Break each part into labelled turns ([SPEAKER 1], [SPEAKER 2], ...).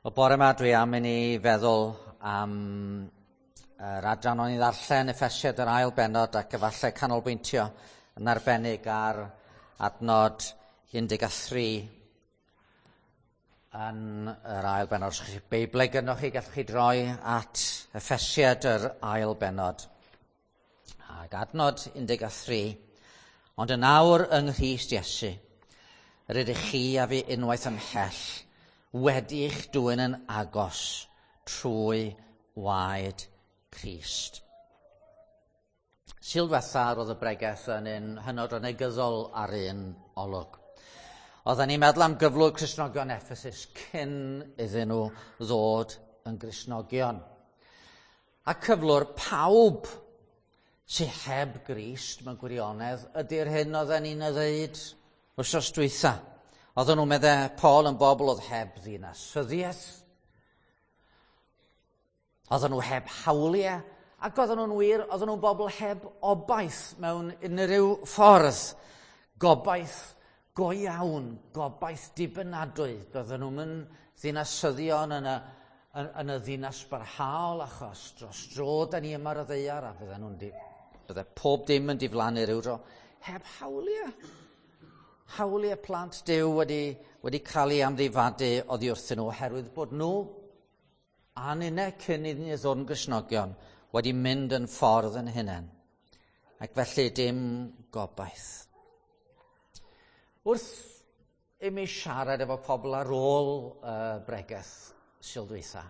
[SPEAKER 1] Wel, bore yma dwi am i ni feddwl am yr adran o'n i ddarllen Effesiad yr ail bennod ac efallai canolbwyntio yn arbennig ar adnod 13 yn yr ail bennod. Os chi Beiblau gynnwch chi, gallwch chi droi at Effesiad yr ail bennod. Ac adnod 13. Ond yn awr yng Nghrist Iesu, yr ydych chi a fi unwaith ymhell wedi eich dwyn yn agos trwy waed Crist. Sul diwetha roedd y bregeth yn un hynod o negyddol ar un olwg. Oedden ni'n meddwl am gyflwr Cristnogion Ephesus cyn iddyn nhw ddod yn Gristnogion. A cyflwr pawb sydd heb Grist mewn gwirionedd ydy'r hyn oedden ni'n ei ddeud wythnos dwytha. Oedden nhw, medde Paul, yn bobl oedd heb ddinasyddiaeth. Oedden nhw heb hawliau, ac oedden nhw'n wir, oedden nhw'n bobl heb obaith mewn unrhyw ffordd. Gobaith go iawn, gobaith dibynadwy. Doedden nhw'n mynd ddinasyddion yn y, yn, yn y ddinas barhaol achos dros dro da ni yma ar y ddaear a bydden nhw'n di, bydde pob dim yn diflannu rhyw dro. Heb hawliau. Hawliau plant Duw wedi, wedi cael ei amddifadu oddi wrthyn nhw oherwydd bod nhw a ninne cyn iddyn ni ddod yn Gristnogion wedi mynd yn ffordd yn hunain. Ac felly dim gobaith. Wrth i mi siarad efo pobl ar ôl uh, bregeth Sul dwytha,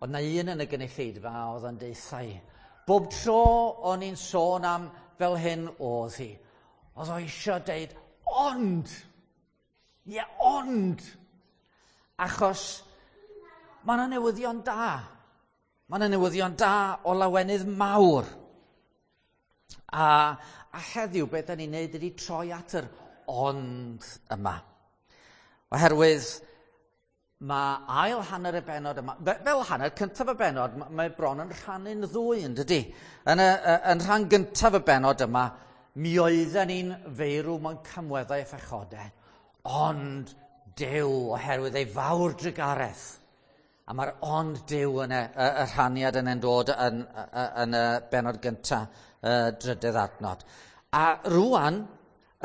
[SPEAKER 1] oedd na un yn y gynulleidfa oedd yn deutha i. Bob tro o'n i'n sôn am fel hyn oedd hi. Oedd o eisiau deud, ond, ie, ond, achos mae yna newyddion da. Mae yna newyddion da o lawenydd mawr. A, a heddiw, beth da ni'n neud ydy troi at yr ond yma. Oherwydd mae ail hanner y bennod yma, fel hanner cyntaf y bennod, mae bron yn rhannu'n ddwy, yn dydy? Yn, y, yn rhan gyntaf y bennod yma, mi oedden ni'n feirw mewn camweddau a phechodau, ond Duw, oherwydd ei fawr drugaredd. A mae'r ond Duw yn y, y, y rhaniad yna'n dod yn, yn, yn y bennod gyntaf, y drydedd adnod. A rwan,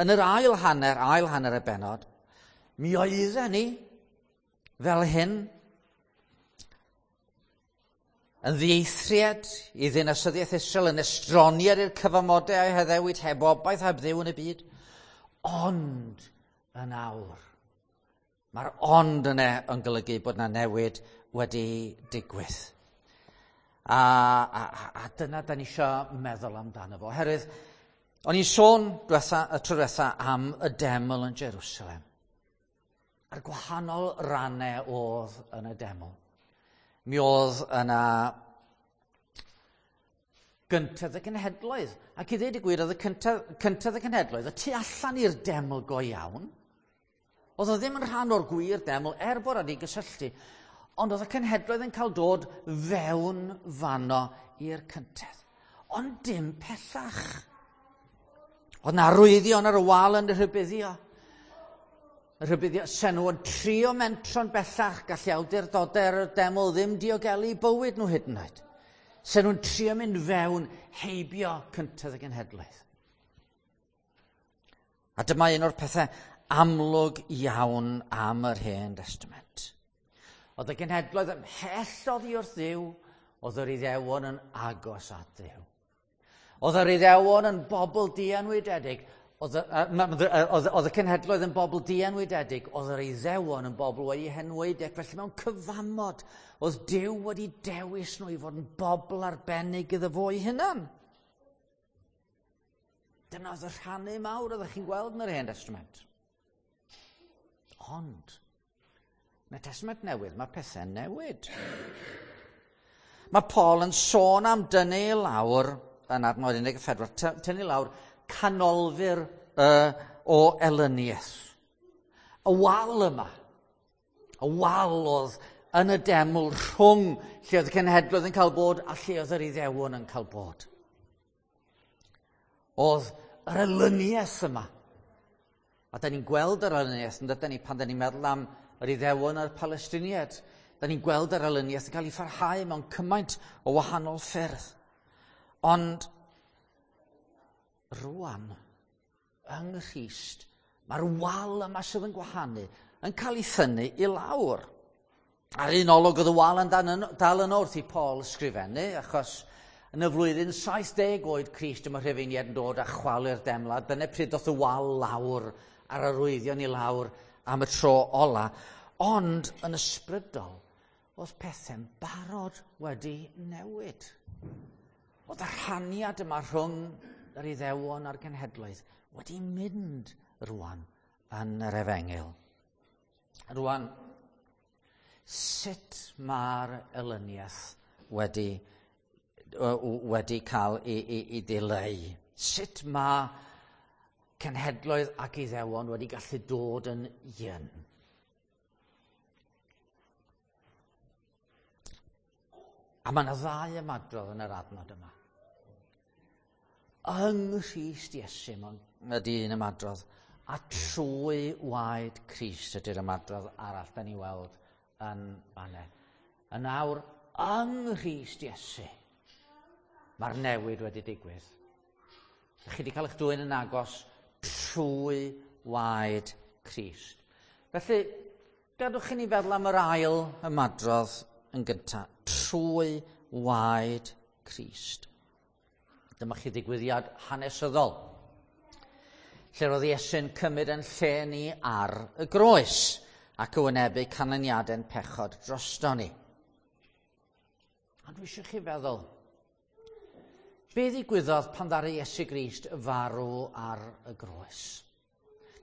[SPEAKER 1] yn yr ail hanner, ail hanner y bennod, mi oedden ni fel hyn, yn ddieithriad i ddinasyddiaeth Israel, yn estroniad i'r cyfamodau a'i haddewid heb obaith heb Dduw yn y byd. Ond yn awr, mae'r ond yna yn golygu bod yna newid wedi digwydd. A, a, a dyna da ni eisiau meddwl amdano fo. Oherwydd, o'n i'n sôn diwetha, y tro diwetha am y deml yn Jerusalem. A'r gwahanol rannau oedd yn y deml. Mi oedd yna gyntedd y cenhedloedd. Ac i ddweud y gwir, oedd y cyntedd, cyntedd y cenhedloedd y tu allan i'r deml go iawn. Oedd o ddim yn rhan o'r gwir deml, er bod wedi gysylltu. Ond oedd y cenhedloedd yn cael dod fewn fanno i'r cyntedd. Ond dim pellach. Oedd na arwyddion ar y wal yn y rhybuddio. Y rhybuddio, sen nhw yn trio mentro'n bellach, gallu awdurdodau'r deml ddim diogelu bywyd nhw hyd yn oed. Sen nhw'n trio mynd fewn heibio cyntedd y genhedlaeth. A dyma un o'r pethau amlwg iawn am yr Hen Testament. Oedd y genhedloedd ymhell oddi wrth Dduw, oedd yr Iddewon yn agos at Dduw. Oedd yr Iddewon yn bobl dienwydedig, oedd, oedd, oedd y cenhedloedd yn bobl dienwydedig, oedd yr Iddewon yn bobl wedi henwaedig, felly mewn cyfamod, oedd Duw wedi dewis nhw i fod yn bobl arbennig iddo fo ei hunan. Dyna oedd y rhannu mawr oeddech chi'n gweld yn yr Hen Testament. Ond, yn y Testament Newydd, mae pethau'n newid. Mae Paul yn sôn am dynnu i lawr, yn adnod 14, tynnu lawr canolfur uh, o elyniaeth. Y wal yma, y wal oedd yn y deml rhwng lle oedd y cenhedloedd yn cael bod a lle oedd yr Iddewon yn cael bod. Oedd yr elyniaeth yma. A da ni'n gweld yr elyniaeth, yn dydyn ni, pan da ni'n meddwl am yr Iddewon a'r Palestiniaid. Da ni'n gweld yr elyniaeth yn cael ei pharhau mewn cymaint o wahanol ffyrdd. Ond rwan, yng Nghrist, mae'r wal yma sydd yn gwahanu yn cael ei thynnu i lawr. Ar un olwg oedd y wal yn dal yno wrth i Paul ysgrifennu, achos yn y flwyddyn 70 oed Crist yma Rhufeiniaid yn dod a chwalu'r demlad. Dyna pryd doth y wal lawr a'r arwyddion i lawr am y tro ola. Ond yn ysbrydol, oedd pethau'n barod wedi newid. Oedd y rhaniad yma rhwng yr Iddewon a'r genhedloedd wedi mynd rwan yn yr efengyl. Rwan, sut mae'r elyniaeth wedi cael ei dileu? Sut mae cenhedloedd ac Iddewon wedi gallu dod yn un? A mae yna ddau ymadrodd yn yr adnod yma. Yng Nghrist Iesu ydy un ymadrodd, a trwy waed Crist ydy'r ymadrodd arall da ni weld yn fanne. Yn awr, yng Nghrist Iesu, mae'r newid wedi digwydd. Chi wedi cael eich dwyn yn agos trwy waed Crist. Felly, gadwch i ni feddwl am yr ail ymadrodd yn gyntaf, trwy waed Crist. Dyma chi ddigwyddiad hanesyddol, lle roedd Iesu'n cymryd yn lle ni ar y groes ac yn wynebu canlyniadau'n pechod drosto ni. Ond dwi eisiau chi feddwl, be ddigwyddodd pan ddaru Iesu Grist farw ar y groes?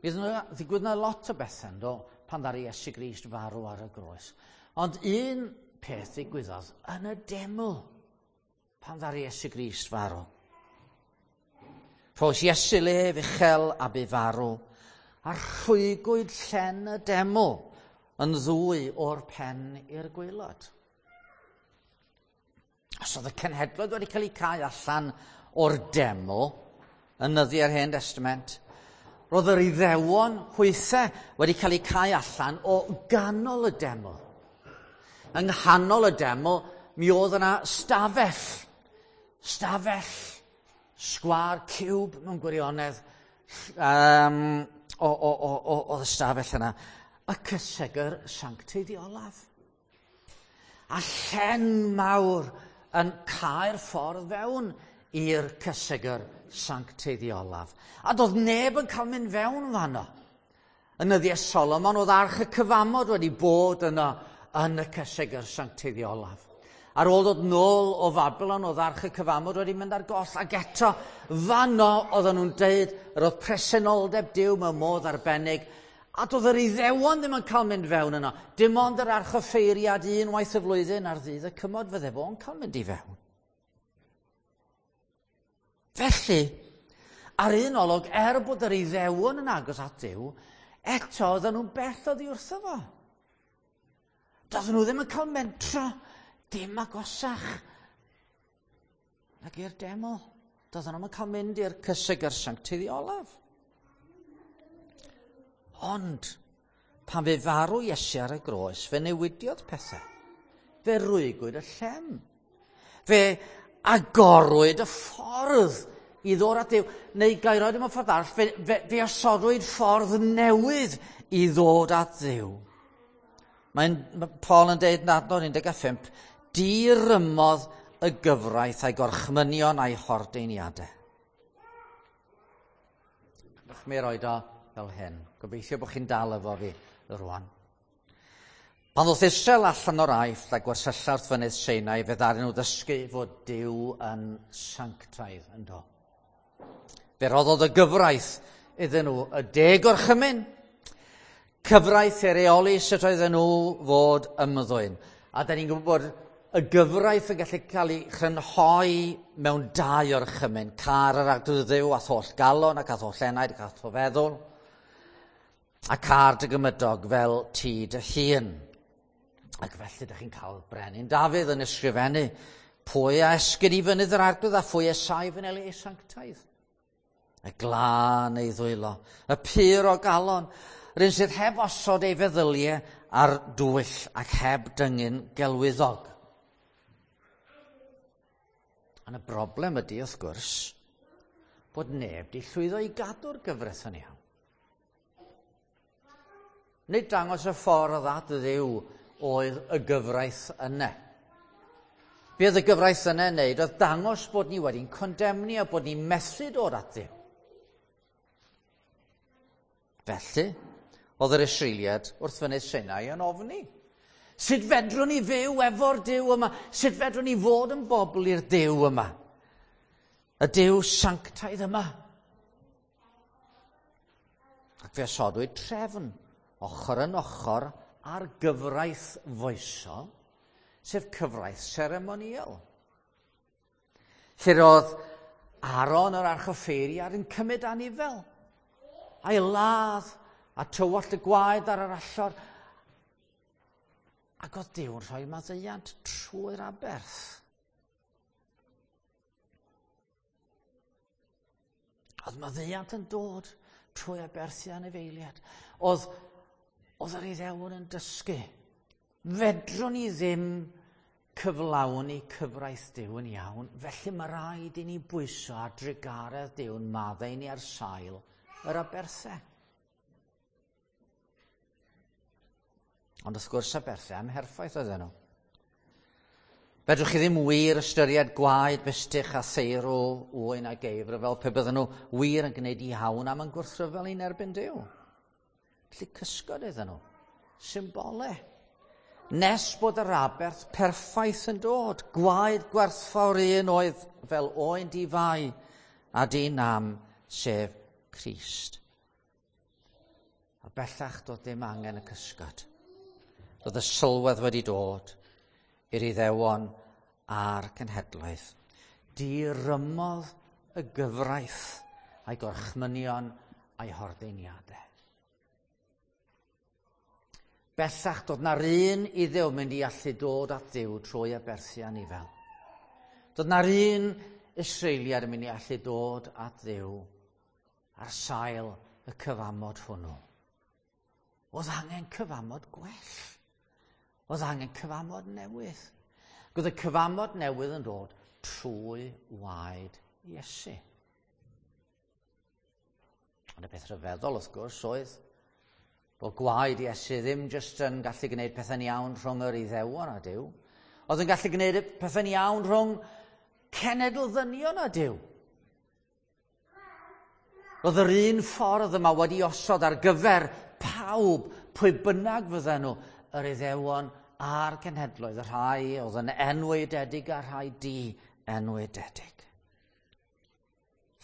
[SPEAKER 1] Mi ddigwyddodd yna lot o bethau, do, pan ddaru Iesu Grist farw ar y groes. Ond un peth ddigwyddodd yn y deml pan ddaru Iesu Grist farw. Rhoes Iesu lef uchel a bu farw, a rhwygwyd llen y deml yn ddwy o'r pen i'r gwaelod. Os oedd y cenhedloedd wedi cael eu cau allan o'r deml yn nyddiau'r Hen Testament, roedd yr Iddewon hwythau wedi cael eu cau allan o ganol y deml. Yng nghanol y deml, mi oedd yna stafell, sgwâr, ciwb mewn gwirionedd, oedd y stafell yna, y cysegr sancteiddiolaf. A llen mawr yn cau'r ffordd fewn i'r cysegr sancteiddiolaf. A doedd neb yn cael mynd fewn fanno. Yn nyddiau Solomon oedd arch y cyfamod wedi bod yno yn y cysegr sancteiddiolaf. Ar ôl dod nôl o Fabilon, oedd arch y cyfamod wedi mynd ar goll, ac eto fanno oedden nhw'n deud yr oedd presenoldeb Duw mewn modd arbennig, a doedd yr Iddewon ddim yn cael mynd fewn yno. Dim ond yr archoffeiriad unwaith y flwyddyn ar ddydd y cymod fydde fo'n cael mynd i fewn. Felly, ar un olwg, er bod yr Iddewon yn agos at Duw, eto oedden nhw'n bell oddi wrtho fo. Doedden nhw ddim yn cael mentro dim agosach nag i'r deml. Doedden nhw'n cael mynd i'r cysegr sancteiddiolaf. Ond, pan fe farw Iesu ar y groes, fe newidiodd pethau. Fe rwygwyd y llen. Fe agorwyd y ffordd i ddod at Dduw. Neu gael roed mewn ffordd arall, fe osodwyd ffordd newydd i ddod at Dduw. Mae Paul yn deud yn adnod 15, dirymodd y gyfraith a'i gorchmynion a'i hordeiniadau. Dych mi roed o fel hyn. Gobeithio bod chi'n dal efo fi rwan. Pan ddoth Israel allan o'r Aifft a gwersylla wrth fynydd Sinai, fe ddaru nhw ddysgu fod Duw yn sanctaidd yn do. Fe roddodd y gyfraith iddyn nhw y 10 gorchymyn, cyfraith i reoli sut oedden nhw fod ymddwyn. A da ni'n gwybod bod y gyfraith yn gallu cael ei chrynhoi mewn 2 orchymyn, car yr Arglwydd Dduw a'th holl galon ac a'th holl enaid ac a'th holl feddwl, a car dy gymydog fel ti dy hun. Ac felly ydych chi'n cael Brenin Dafydd yn ysgrifennu, pwy a esgyn i fynydd yr Arglwydd a phwy a saif yn ei sanctaidd? Y glân ei ddwylo, y pur o galon, yr un sydd heb osod ei feddyliau ar dwyll ac heb dyngu'n gelwyddog. Ond y broblem ydy, wrth gwrs, bod neb di llwyddo i gadw'r gyfraith yn iawn. Nid dangos y ffordd at Dduw oedd y gyfraith yna. Be oedd y gyfraith yna yn neud oedd dangos bod ni wedi'n condemni a bod ni'n methu dod at Dduw. Felly, oedd yr Israeliad wrth fynydd Sinai yn ofni. Sut fedrwn ni fyw efo'r Duw yma? Sut fedrwn ni fod yn bobl i'r Duw yma? Y Duw sanctaidd yma. Ac fe osodwyd trefn ochr yn ochr ar gyfraith foesol, sef cyfraith seremoniol. Lle roedd Aaron yr archoffeiriad yn cymryd anifel, a'i ladd a tywallt y gwaed ar yr allor, ac oedd Duw yn rhoi maddeuant trwy'r aberth. Oedd maddeuant yn dod trwy aberthu anifeiliad. Oedd, oedd yr Iddewon yn dysgu. Fedrwn ni ddim cyflawni cyfraith Duw yn iawn, felly mae rhaid i ni bwyso ar drugaredd Duw'n maddau ni ar sail yr aberthau. Ond wrth gwrs aberthau amherffaith oedden nhw. Fedrwch chi ddim wir ystyried gwaed bystych a theirw ŵyn a geifr fel pe bydden nhw wir yn gwneud iawn am yn gwrthryfel i'n erbyn Duw. Felly cysgod iddyn nhw. Symbole. Nes bod yr aberth perffaith yn dod, gwaed gwerthfawr un oedd fel oen di-fai a di-nam, sef Crist. A bellach doedd dim angen y cysgod. Doedd y sylwedd wedi dod i'r Iddewon a'r cenhedloedd. Dirymodd y gyfraith a'i gorchmynion a'i hordeiniadau. Bellach doedd na'r un Iddew mynd i allu dod at Dduw trwy aberthu anifel. Doedd na'r un Israeliad yn mynd i allu dod at Dduw ar sail y cyfamod hwnnw. Oedd angen cyfamod gwell. Oedd angen cyfamod newydd. Ac oedd y cyfamod newydd yn dod trwy waed Iesu. Ond y peth rhyfeddol, wrth gwrs, oedd bod gwaed Iesu ddim jyst yn gallu gwneud pethau'n iawn rhwng yr Iddewon a Duw. Oedd yn gallu gwneud pethau'n iawn rhwng cenedl ddynion a Duw. Roedd yr un ffordd yma wedi osod ar gyfer pawb, pwy bynnag fydden nhw, yr Iddewon a'r cenhedloedd, y rhai oedd yn enwaededig a'r rhai di-enwaededig.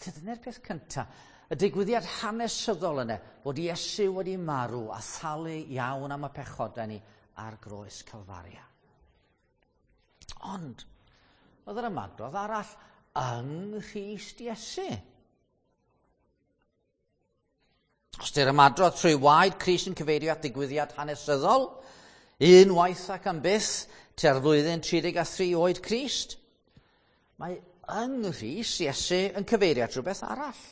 [SPEAKER 1] Felly dyna'r peth cyntaf, y digwyddiad hanesyddol yna, bod Iesu wedi marw a thalu iawn am y pechodau ni ar groes Calfaria. Ond, oedd yr ymadrodd arall yng Nghrist Iesu. Os di'r ymadrodd trwy waed Crist yn cyfeirio at digwyddiad hanesyddol, unwaith ac am byth, tua'r flwyddyn 33 oed Crist, mae yng Nghrist Iesu yn cyfeirio at rhywbeth arall,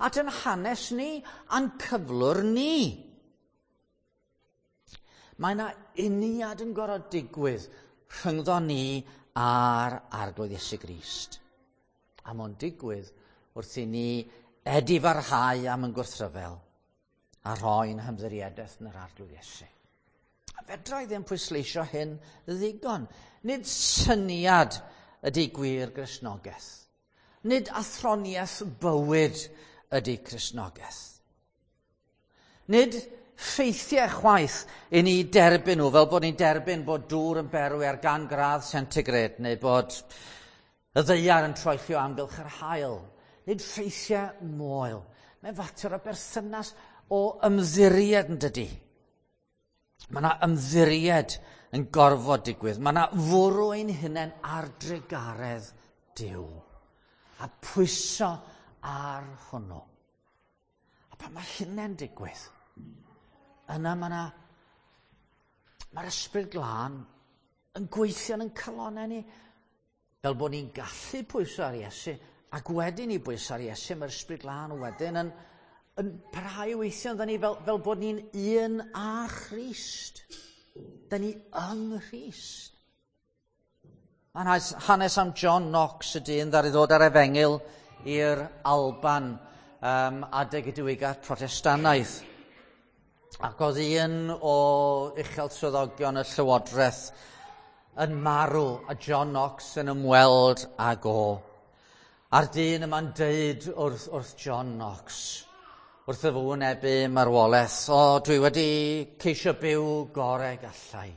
[SPEAKER 1] at yn hanes ni a'n cyflwr ni. Mae yna uniad yn gorfod digwydd rhyngddo ni a'r Arglwydd Iesu Grist. A mae'n digwydd wrth i ni edifarhau am yn gwrthryfel a rhoi'n hymddiriedaeth yn yr Arglwydd Iesu. A fedra i ddim pwysleisio hyn ddigon. Nid syniad ydy gwir Gristnogaeth. Nid athroniaeth bywyd ydy Cristnogaeth. Nid ffeithiau chwaith i ni derbyn nhw, fel bod ni'n derbyn bod dŵr yn berwi ar 100 gradd centigrade neu bod y ddaear yn troellio amgylch yr haul. Nid ffeithiau moel. Mae'n fater o berthynas o ymddiried yn dydy. Mae yna ymddiried yn gorfod digwydd. Mae yna fwrw ein hunain ar drugaredd Duw. A pwyso ar hwnnw. A pan mae hynny'n digwydd, yna mae'r Ysbryd Glân yn gweithio yn calonnau ni, fel bod ni'n gallu pwyso ar Iesu, ac wedyn i bwyso ar Iesu, mae'r Ysbryd Glân wedyn yn parhau i weithio ynddo ni fel bod ni'n un â Christ. Da ni yng Nghrist. Mae'n hanes am John Knox, y dyn ddaru ddod ar efengyl i'r Alban adeg y diwygiad Protestannaidd. Ac oedd un o uchel swyddogion y Llywodraeth yn marw a John Knox yn ymweld ag o. A'r dyn yma'n deud wrth John Knox, wrth y fo wynebu marwolaeth, "O, dwi wedi ceisio byw gorau gallai."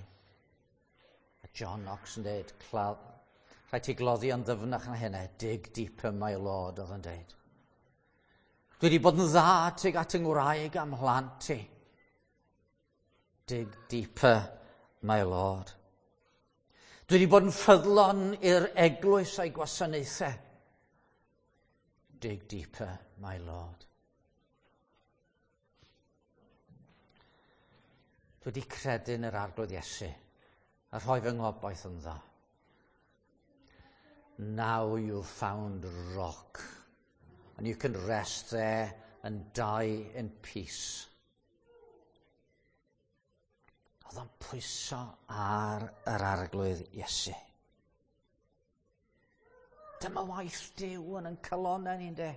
[SPEAKER 1] A John Knox yn deud, "Rhaid ti gloddi yn ddyfnach na hynny, dig deeper, my lord," oedd yn deud. "Dwi wedi bod yn dda tuag at yng ngwraig a'm mhlant i." "Dig deeper, my lord. Dwi wedi bod yn ffyddlon i'r eglwys a'i gwasanaethau." "Dig deeper, my lord. Dwi wedi credu yn yr Arglwydd Iesu a rhoi fy ngobaith ynddo." "Now you've found rock and you can rest there and die in peace." Oedd o'n pwyso ar yr Arglwydd Iesu. Dyma waith Duw yn calonau ni'n de.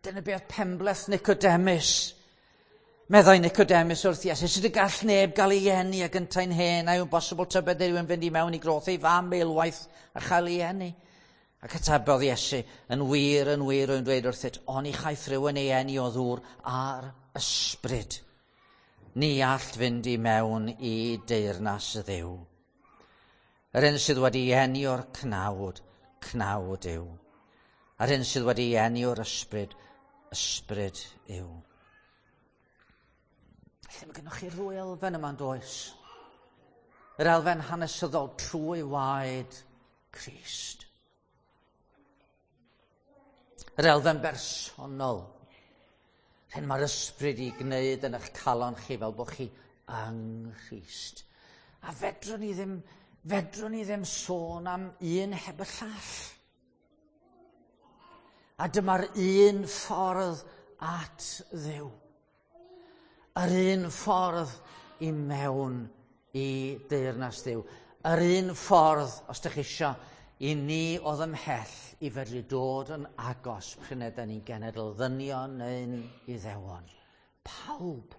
[SPEAKER 1] Dyna beth penbleth Nicodemus. Meddai Nicodemus wrth Iesu, "Sut y gall neb gael ei eni ag yntau'n hen? A yw'n bosibl tybed rhywun fynd i mewn i groth ei fam eilwaith a chael ei eni?" Ac atebodd Iesu, "Yn wir, yn wir, rwy'n dweud wrthyt, oni chaiff rhywun ei eni o ddŵr a'r ysbryd, ni all fynd i mewn i deyrnas y Dduw. Yr un sydd wedi eni o'r cnawd, cnawd yw. A'r un sydd wedi eni o'r ysbryd, ysbryd yw." Felly mae gennych chi'r ddwy elfen yma'n does? Yr elfen hanesyddol trwy waed Crist. Yr elfen bersonol. Hyn mae'r ysbryd i gwneud yn eich calon chi fel bod chi yng Nghrist. A fedrwn ni ddim sôn am un heb y llall. A dyma'r un ffordd at Dduw. Yr un ffordd i mewn i deyrnas Dduw. Yr un ffordd, os ydych chi eisiau, i ni oedd ymhell i fedru dod yn agos p'run ydyn ni'n genedl ddynion neu'n Iddewon. Pawb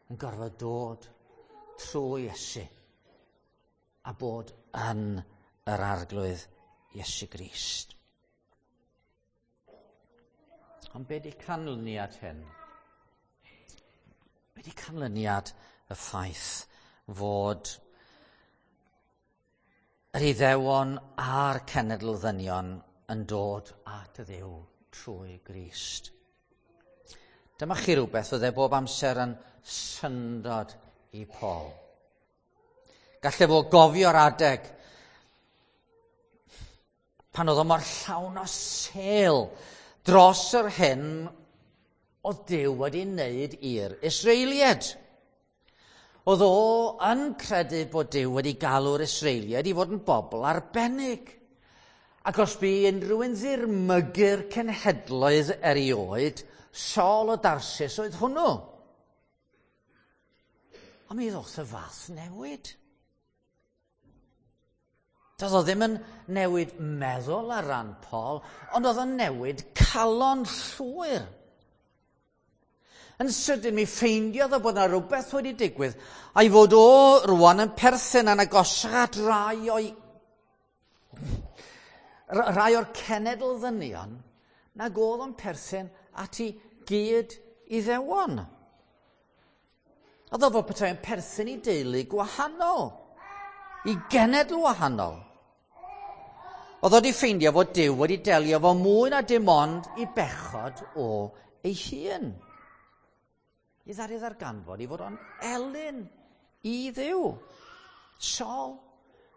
[SPEAKER 1] yn gorfod dod trwy Iesu a bod yn yr Arglwydd Iesu Grist. Ond be di canlyniad hyn? Be di canlyniad y ffaith fod yr Iddewon a'r cenedl ddynion yn dod at y Dduw trwy Grist? Dyma chi rhywbeth oedd e bob amser yn syndod i Paul. Gallai fo gofio'r adeg pan oedd o mor llawn o sêl dros yr hyn oedd Duw wedi wneud i'r Israeliaid. Oedd o yn credu bod Duw wedi galw'r Israeliaid i fod yn bobl arbennig. Ac os bu unrhyw un ddirmygu'r cenhedloedd erioed, Saul o Darsus oedd hwnnw. Ond mi ddoth y fath newid. Doedd o ddim yn newid meddwl ar ran Paul, ond oedd o'n newid calon llwyr. Yn sydyn mi ffeindiodd o bod yna rhywbeth wedi digwydd, a'i fod o rwan yn perthyn yn agosach at rai o'r cenedl ddynion nag oedd o'n perthyn at ei gyd Iddewon. Oedd o fel petai yn perthyn i deulu gwahanol, i genedl wahanol. Oedd o wedi ffeindio fod Duw wedi delio fo mwy na dim ond i bechod o ei hun. I ddaru ddarganfod i fod o'n elyn i Dduw. "Saul,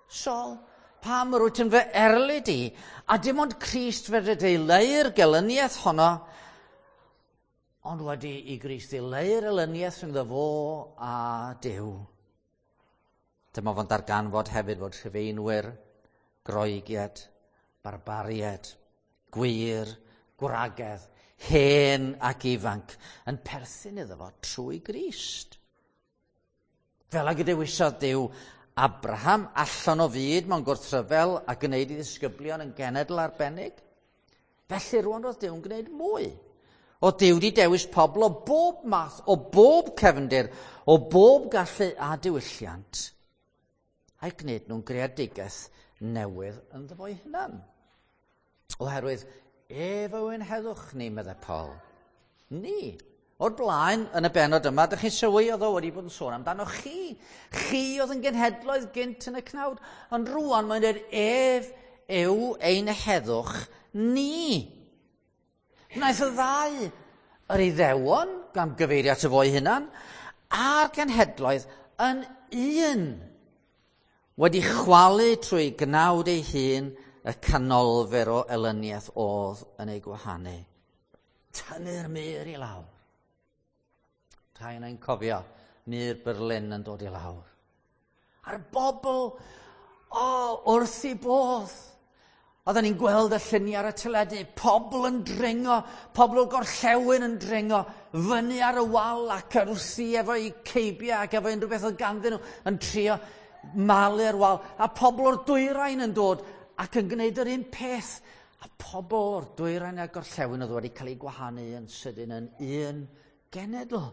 [SPEAKER 1] Saul, pam yr wyt yn fy erlid i?" A dim ond Crist fedr dileu'r gelyniaeth honno, ond wedi i Grist ddileu'r elyniaeth rhyngddo fo a Duw, dyma fo'n darganfod hefyd fod Rhufeinwyr, Groegiad, barbariad, gwŷr, gwragedd, hen ac ifanc yn perthyn iddo fo trwy Grist. Fel ag y dewisodd Duw Abraham allan o fyd mewn gwrthryfel a gwneud i ddisgyblion yn genedl arbennig. Felly rwan oedd Duw'n gwneud mwy. O Duw wedi dewis pobl o bob math, o bob cefndir, o bob gallu a diwylliant, a'i gwneud nhw'n greadigaeth newydd ynddo fo'i hunan. Oherwydd ef yw ein heddwch ni, meddai Paul. Ni. O'r blaen, yn y benod yma, dych chi'n sylwi oedd o wedi bod yn sôn amdano chi. Chi oedd yn genhedloedd gynt yn y cnawd. Ond rwan mae'n dweud ef yw ein heddwch ni. Wnaeth y ddau, yr Iddewon, gan gyfeirio at y fo'i hunan, a'r genhedloedd yn un, wedi chwalu trwy gnawd ei hun y canolfer o elyniaeth oedd yn ei gwahanu. Tynnu'r mur i lawr. Rhai yna'n cofio mur Berlin yn dod i lawr. A'r bobl, o, wrth i bodd. Oedden ni'n gweld y lluniau ar y teledu, pobl yn dringo, pobl o'r gorllewin yn dringo, fyny ar y wal ac ar wrthi efo'u ceibiau ac efo unrhyw beth oedd ganddyn nhw yn trio malu'r wal. A pobl o'r dwyrain yn dod ac yn gwneud yr un peth. A pobl o'r dwyrain a'r gorllewin oedd wedi cael eu gwahanu yn sydyn yn un genedl.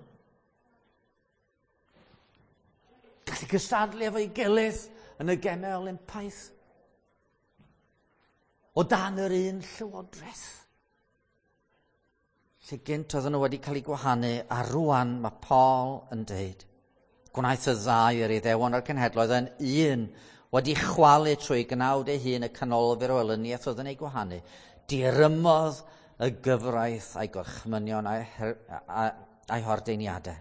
[SPEAKER 1] Gallu cystadlu efo'i gilydd yn y gemau Olympaidd. O dan yr un llywodraeth. Lle gynt oedden nhw wedi cael eu gwahanu, a rwan mae Paul yn deud, gwnaeth y ddau yr Iddewon a'r cenhedloedd yn un, wedi chwalu trwy gnawd ei hun y canolfur o elyniaeth oedd yn ei gwahanu, dirymodd y gyfraith a'i gorchmynion a'i hordeiniadau.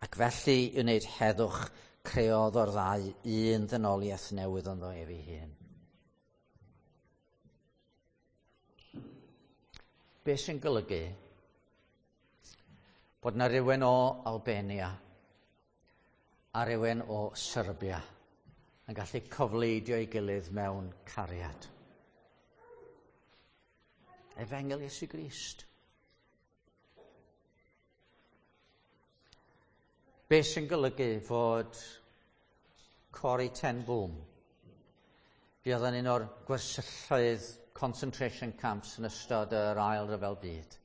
[SPEAKER 1] Ac felly i wneud heddwch creodd o'r ddau un ddynoliaeth newydd ynddo ef ei hun. Be sy'n golygu bod na rywun o Albania a rywun o Serbia yn gallu cofleidio ei gilydd mewn cariad. Efengyl Iesu Grist. Be sy'n golygu fod Corrie ten Boom, fuodd yn un o'r gwersylloedd concentration camps yn ystod yr Ail Ryfel Byd,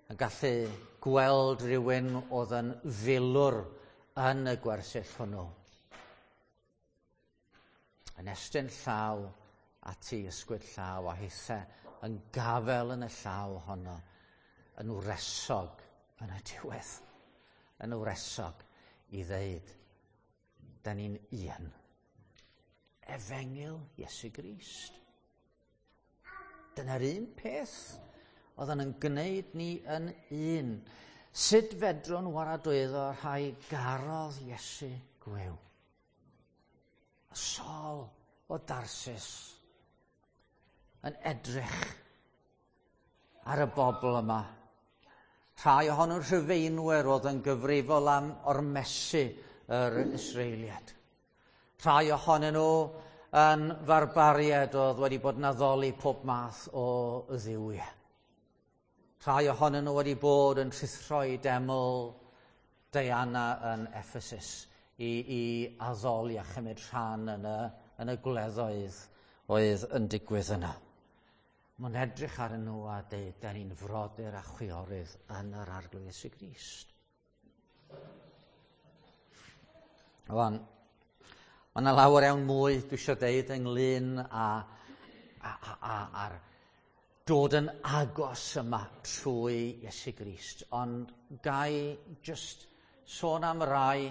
[SPEAKER 1] yn gallu gweld rhywun oedd yn filwr yn y gwersyll hwnnw, yn estyn llaw ati, ysgwyd llaw a hithe yn gafel yn y llaw honno, yn wresog yn y diwedd, yn wresog i ddeud, da ni'n un. Efengyl Iesu Grist. Dyna'r un peth oedd yn gwneud ni yn un. Sut fedrwn waradwyddo rhai garodd Iesu gwiw? Y Saul o Darsus yn edrych ar y bobl yma. Rhai ohonyn Rhufeinwyr oedd yn gyfrifol am ormesu yr Israeliad. Rhai ohonyn nhw yn farbariaid oedd wedi bod yn addoli pob math o dduwiau. Rhai ohonyn nhw wedi bod yn rhuthro i deml Diana yn Ephesus i addoli a chymryd rhan yn y gwleddoedd oedd yn digwydd yna. Mae'n edrych arnyn nhw a deud, da ni'n frodyr a chwiorydd yn yr Arglwydd Iesu Grist. Rwan, mae yna lawer iawn mwy dwi eisiau deud ynglyn â'r dod yn agos yma trwy Iesu Grist. Ond gai just sôn am rai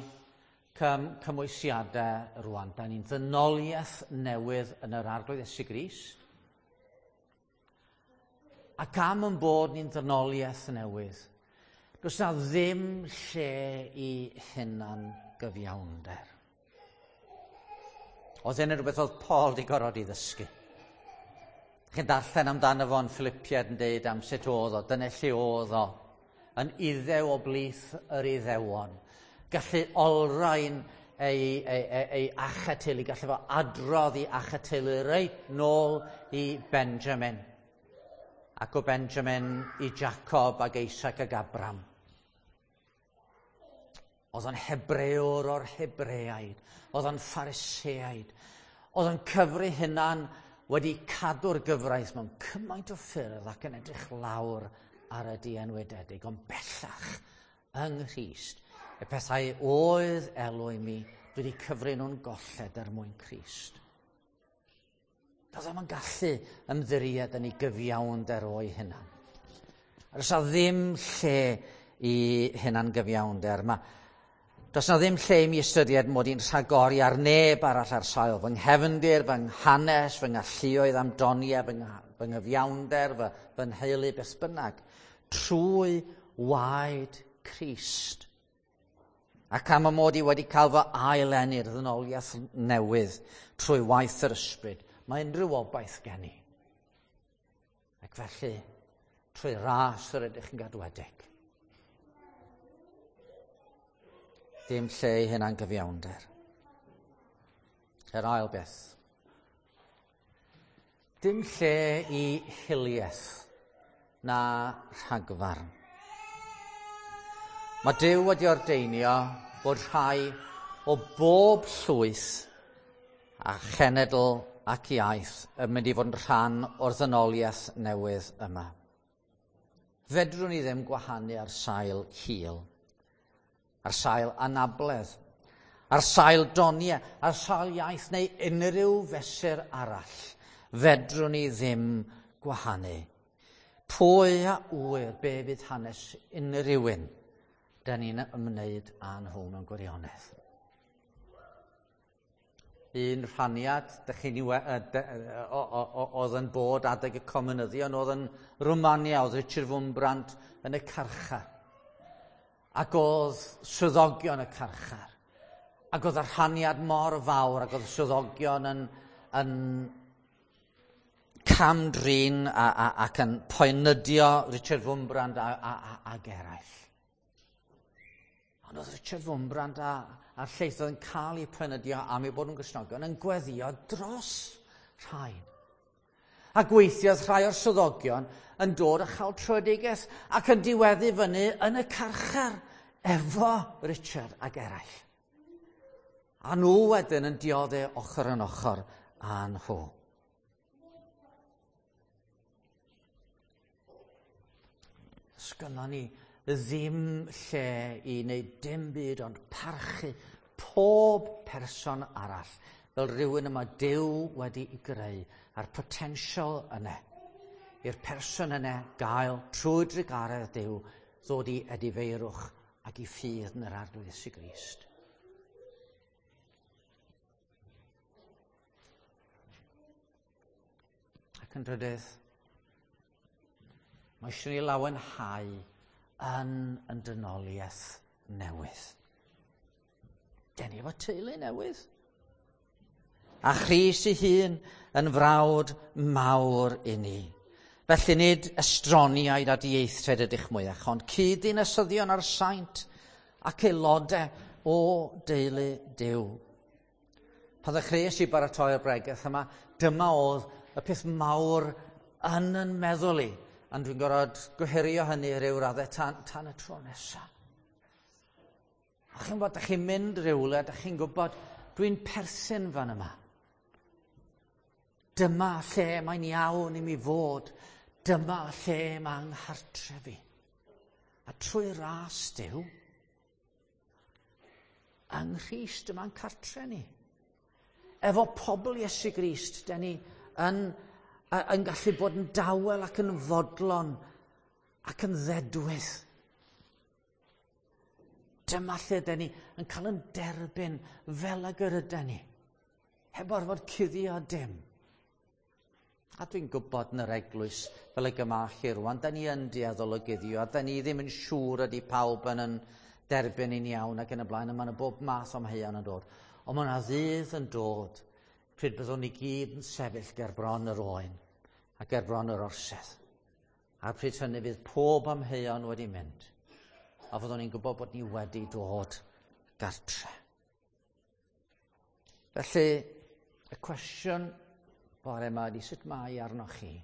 [SPEAKER 1] cymwysiadau rwan. Da ni'n ddynoliaeth newydd yn yr Arglwydd Iesu Grist. Ac am yn bod ni'n ddynoliaeth newydd, does na ddim lle i hunan gyfiawnder. Oedd hyn yn rhywbeth oedd Paul di gorfod i ddysgu. Chi'n darllen amdano fo yn Philippiaid yn deud am sut oedd o, dyna lle oedd o, yn Iddew o blith yr Iddewon. Gallu olrhain ei achateulu, gallu fo adrodd i achateulu reit nôl i Benjamin. Ac o Benjamin i Jacob ac Isaac ac Abraham. Oedd o'n Hebrewr o'r Hebreaid, oedd o'n Phariseaid, oedd o'n cyfri hunan wedi cadw'r gyfraith mewn cymaint o ffyrdd ac yn edrych lawr ar y dienwededig, ond bellach yng Nghrist, y pethau oedd elw i mi, dwi wedi cyfri nhw'n golled er mwyn Crist. Doedd o'm yn gallu ymddiried yn ei gyfiawnder o'i hunan. A does 'na ddim lle i hunan gyfiawnder. Does 'na ddim lle i mi ystyried mod i'n rhagori ar neb arall ar sail fy nghefndir, fy nghanes, fy ngalluoedd am doniau, fy nghyfiawnder, fy nheulu, beth bynnag. Trwy waed Crist. Ac am y mod i wedi cael fy ail-eni'r ddynoliaeth newydd trwy waith yr ysbryd, mae unrhyw obaith gen i. Ac felly, trwy ras yr ydych yn gadwedig. Dim lle i hynna'n gyfiawnder. Yr ail beth. Dim lle i hiliaeth na rhagfarn. Mae Duw wedi ordeinio bod rhai o bob llwyth a chenedl ac iaith yn mynd i fod yn rhan o'r ddynoliaeth newydd yma. Fedrwn ni ddim gwahanu ar sail hil, ar sail anabledd, ar sail doniau, ar sail iaith neu unrhyw fesur arall. Fedrwn ni ddim gwahanu. Pwy a ŵyr be fydd hanes unrhyw un da ni'n ymwneud â nhw mewn gwirionedd. Un rhaniad dych chi'n oedd yn bod adeg y comunyddion oedd yn Rwmania, oedd Richard Wurmbrand yn y carchar. Ac oedd swyddogion y carchar. Ac oedd y rhaniad mor fawr, ac oedd swyddogion yn cam-drin ac yn poenydio Richard Wurmbrand ag eraill. Ond oedd Richard Wurmbrand a'r lleill oedd yn cael eu poenydio am eu bod nhw'n Gristnogion yn gweddio dros rhain. A gweithiodd rhai o'r swyddogion yn dod a chael tröedigaeth ac yn diweddu fyny yn y carchar efo Richard ag eraill. A nhw wedyn yn dioddef ochr yn ochr â nhw. Sgynnon ni ddim lle i wneud dim byd ond parchu pob person arall fel rhywun yma Duw wedi'i greu a'r potensial yna i'r person yna gael trwy drugaredd Duw ddod i edifeirwch ac i ffydd yn yr Arglwydd Iesu Grist. Ac yn drydydd, mae eisiau ni lawenhau yn dynoliaeth newydd. Den ni efo teulu newydd. A Christ ei hun yn frawd mawr i ni. Felly nid estroniaid a dieithriaid ydych mwyach, ond cyd-ddinasyddion a'r saint ac aelodau o deulu Duw. Pan ddechreuais i baratoi'r bregeth yma, dyma oedd y peth mawr yn meddwl i, ond dwi'n gorfod gohirio hynny ryw raddau tan y tro nesaf. A chi'n gwybod, dach chi'n mynd rhywle, dach chi'n gwybod, dwi'n perthyn fan yma. Dyma lle mae'n iawn i mi fod. Dyma lle mae nghartref i. A trwy ras Duw, yng Nghrist yma'n cartre ni. Efo pobl Iesu Grist, da ni yn gallu bod yn dawel ac yn fodlon ac yn ddedwydd. Dyma lle da ni yn cael yn derbyn fel ag yr yda ni, heb orfod cuddio dim. A dwi'n gwybod yn yr eglwys fel y gyma chi rwan, da ni yn dueddol o guddio, a da ni ddim yn siŵr ydy pawb yn derbyn ni'n iawn ac yn y blaen, a mae yna bob math o amheuon yn dod. Ond mae yna ddydd yn dod pryd byddwn ni gyd yn sefyll ger bron yr oen a ger bron yr orsedd. A pryd hynny fydd pob amheuon wedi mynd, a fyddwn ni'n gwybod bod ni wedi dod gartre. Felly, y cwestiwn bore yma ydy sut mae arnoch chi?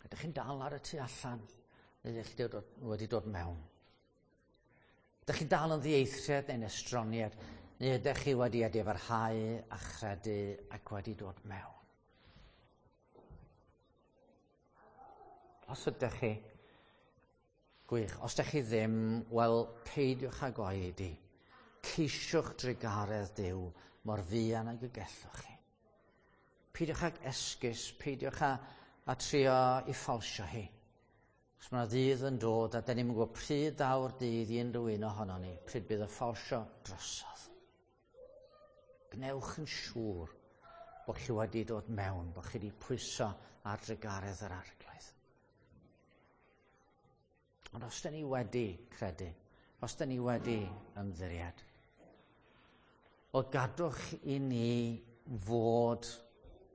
[SPEAKER 1] Ydych chi'n dal ar y tu allan? Neu ydych chi wedi dod mewn? Ydych chi'n dal yn ddieithriad neu'n estroniad, neu ydych chi wedi edifarhau a chredu ac wedi dod mewn? Os ydych chi, gwych. Os ydych chi ddim, wel, peidiwch ag oedi. Ceisiwch drugaredd Duw mor fuan ag y gellwch chi. Peidiwch ag esgus, peidiwch â trio i ffalsio hi. Os mae yna ddydd yn dod, a da ni'n gwybod pryd daw'r dydd i unrhyw un ohono ni, pryd bydd y ffalsio drosodd. Gwnewch yn siŵr bod chi wedi dod mewn, bod chi wedi pwyso ar drugaredd yr Arglwydd. Ond os da ni wedi credu, os da ni wedi ymddiried, o gadwch i ni fod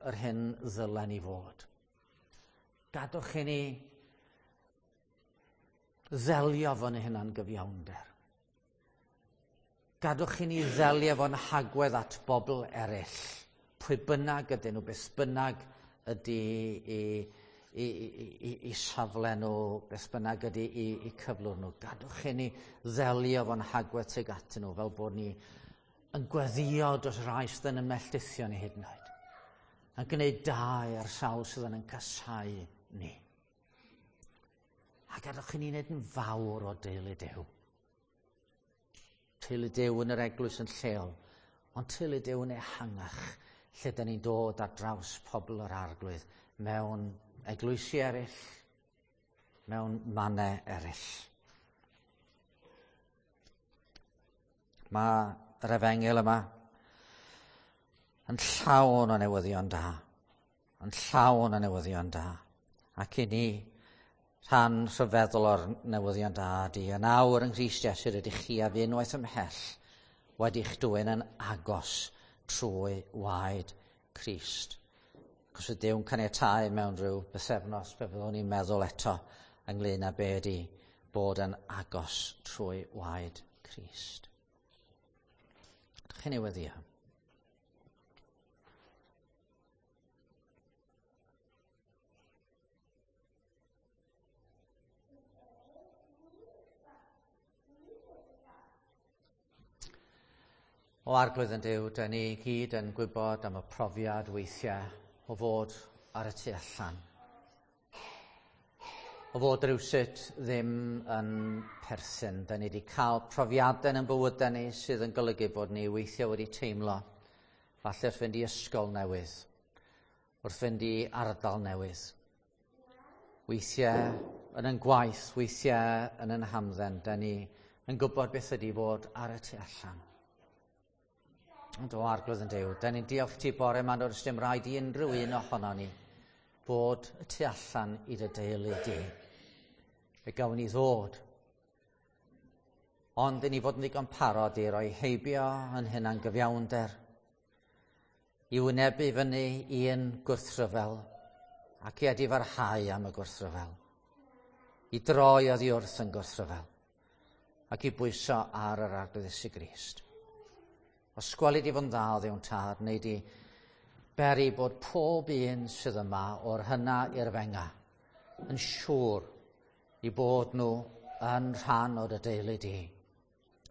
[SPEAKER 1] yr hyn ddylen ni fod. Gadwch i ni ddelio fo'n hunan gyfiawnder. Gadwch i ni ddelio fo'n hagwedd at bobl eraill, pwy bynnag ydyn nhw, beth bynnag ydy i safle nhw, beth bynnag ydy i cyflwr nhw. Gadwch i ni ddelio fo'n hagwedd tuag atyn nhw, fel bod ni yn gweddio dros rai sydd yn ymelltithio ni hyd yn oed. Yn gwneud da i'r sawl sydd yn casáu ni. A gadwch i ni wneud yn fawr o deulu Duw. Teulu Duw yn yr eglwys yn lleol, ond teulu Duw yn ehangach, lle da ni'n dod ar draws pobl yr Arglwydd mewn eglwysi eraill, mewn mannau eraill. Mae yr efengyl yma yn llawn o newyddion da. Yn llawn o newyddion da. Ac i ni, rhan rhyfeddol o'r newyddion da ydy, yn awr yng Nghrist Iesu rydych chi a fi unwaith ymhell wedi'ch dwyn yn agos trwy waed Crist. Cos y Duw'n caniatáu mewn rhyw bythefnos fe fyddwn ni'n meddwl eto ynglyn â be ydy bod yn agos trwy waed Crist. Ydych chi'n ei weddio? O Arglwydd yn Duw, da ni gyd yn gwybod am y profiad weithiau o fod ar y tu allan. O fod rhywsut ddim yn perthyn. Da ni wedi cael profiadau yn bywydau ni sydd yn golygu bod ni weithiau wedi teimlo falle wrth fynd i ysgol newydd, wrth fynd i ardal newydd. Weithiau yn ein gwaith, weithiau yn ein hamdden, da ni yn gwybod beth ydy fod ar y tu allan. Ond o Arglwydd yn Duw, da ni'n diolch ti bore yma, does dim rhaid i unrhyw un ohono ni fod y tu allan i dy deulu di. Fe gawn ni ddod. Ond i ni fod yn ddigon parod i roi heibio yn hynna'n gyfiawnder, i wynebu fyny un gwrthryfel ac i edifarhau am y gwrthryfel, i droi oddi wrth yn gwrthryfel ac i bwyso ar yr Arglwydd Iesu Grist. Os gweli di fod yn dda o Dduw'n Tad, neu di beri bod pob un sydd yma o'r hynna i'r fenga yn siŵr i bod nhw yn rhan o'r deulu di.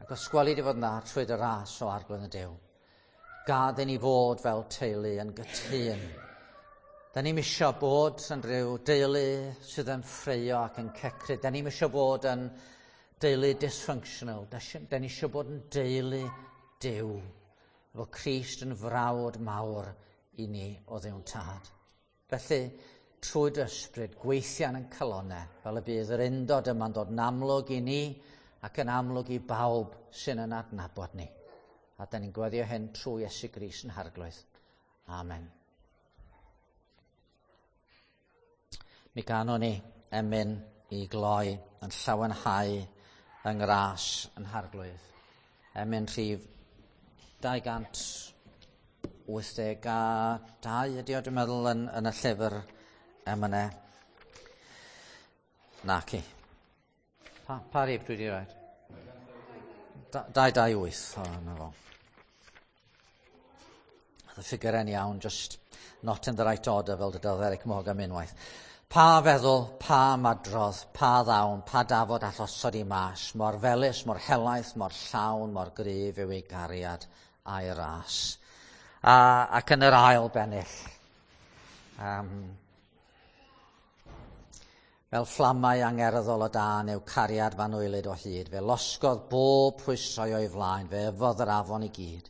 [SPEAKER 1] Ac os gweli di fod yn dda trwy dy ras o Arglwydd y Duw, gad i ni fod fel teulu yn gytûn. Da ni'm isio bod yn rhyw deulu sydd yn ffraeo ac yn cecru. Da ni'm isio bod yn deulu dysfunctional. Da ni isio bod yn deulu Duw, efo Crist yn frawd mawr i ni o Dduw'n Tad. Felly, trwy dy ysbryd, gweithian yn calonau, fel y bydd yr undod yma'n dod yn amlwg i ni ac yn amlwg i bawb sy'n yn adnabod ni. A da ni'n gweddio hyn trwy Iesu Grist yn Harglwydd. Amen. Mi ganwn ni emyn i gloi yn llawenhau yng ngras yn Harglwydd. Emyn rhif 282 ydy o, dwi'n meddwl, yn y llyfr emynau. Naci. Pa rif dwi wedi rhoi? 228. O, na fo. Oedd y ffigurau'n iawn, just not in the right order, fel dydodd Eric Morgan unwaith. Pa feddwl, pa madrodd, pa ddawn, pa dafod all osod i mas, mor felys, mor helaeth, mor llawn, mor gryf yw ei gariad a'i ras. Ac yn yr ail bennill, fel fflamau angerddol o dân yw cariad fanwylyd o hyd, fe losgodd bob rhwystrau o'i flaen, fe yfodd yr afon i gyd.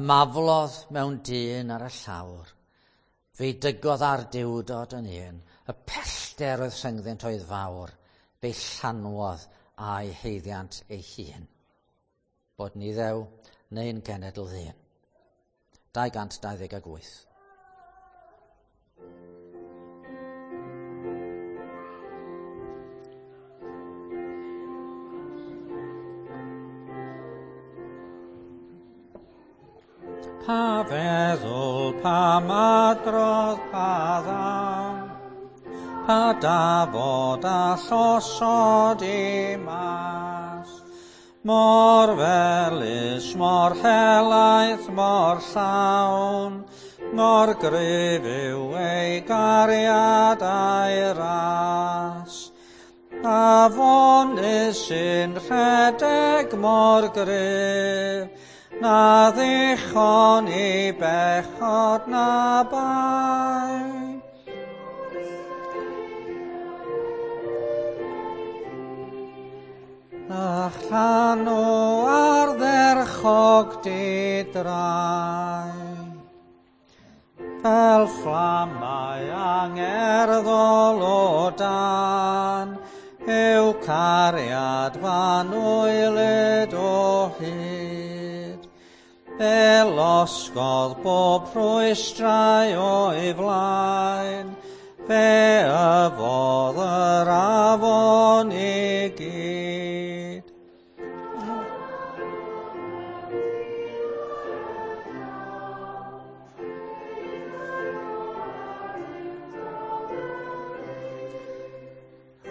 [SPEAKER 1] Ymaflodd mewn dyn ar y llawr, fe'i dygodd ar diwdod yn un, y pellter oedd rhyngddynt oedd fawr, fe'i llanwodd a'i haeddiant ei hun. Bod ni ddew neu'n genedl ddyn. 228. Pa feddwl, pa madrodd, pa ddawn, pa dafod a llosod i mas, mor felys, mor helaeth, mor llawn, mor gryf yw ei gariad a'i ras. Afon sy'n rhedeg mor gryf, na ddichon i bechod na bai. Na llanw ardderchog di drai, fel fflamau angerddol o dan, yw cariad fanwylyd o hyd. Fe losgodd bob rhwystrau o'i flaen, fe yfodd yr afon i gyd.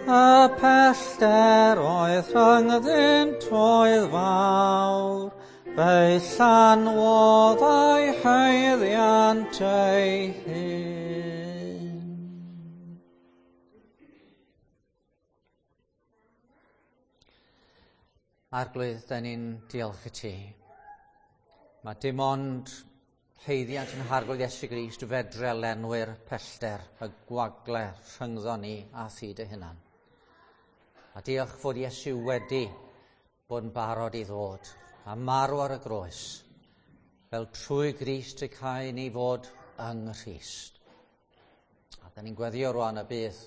[SPEAKER 1] Y pellter oedd rhyngddynt oedd fawr, fe'i llanwodd a'i haeddiant ei hun. Arglwydd, da ni'n diolch i ti. Mae dim ond haeddiant yn Harglwydd Iesu Grist fedre lenwi'r pellter y gwagle rhyngddo ni a thi dy hunan. A diolch fod Iesu wedi bod yn barod i ddod a marw ar y groes, fel trwy Grist y cae ni fod yng Nghrist. A da ni'n gweddio rwan y bydd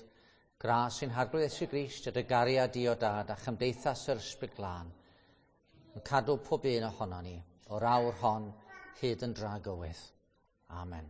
[SPEAKER 1] gras sy'n Harglwydd Iesu Grist a dy gariad di o dad a chymdeithas yr Ysbryd Glân yn cadw pob un ohono ni o'r awr hon hyd yn dragywydd. Amen.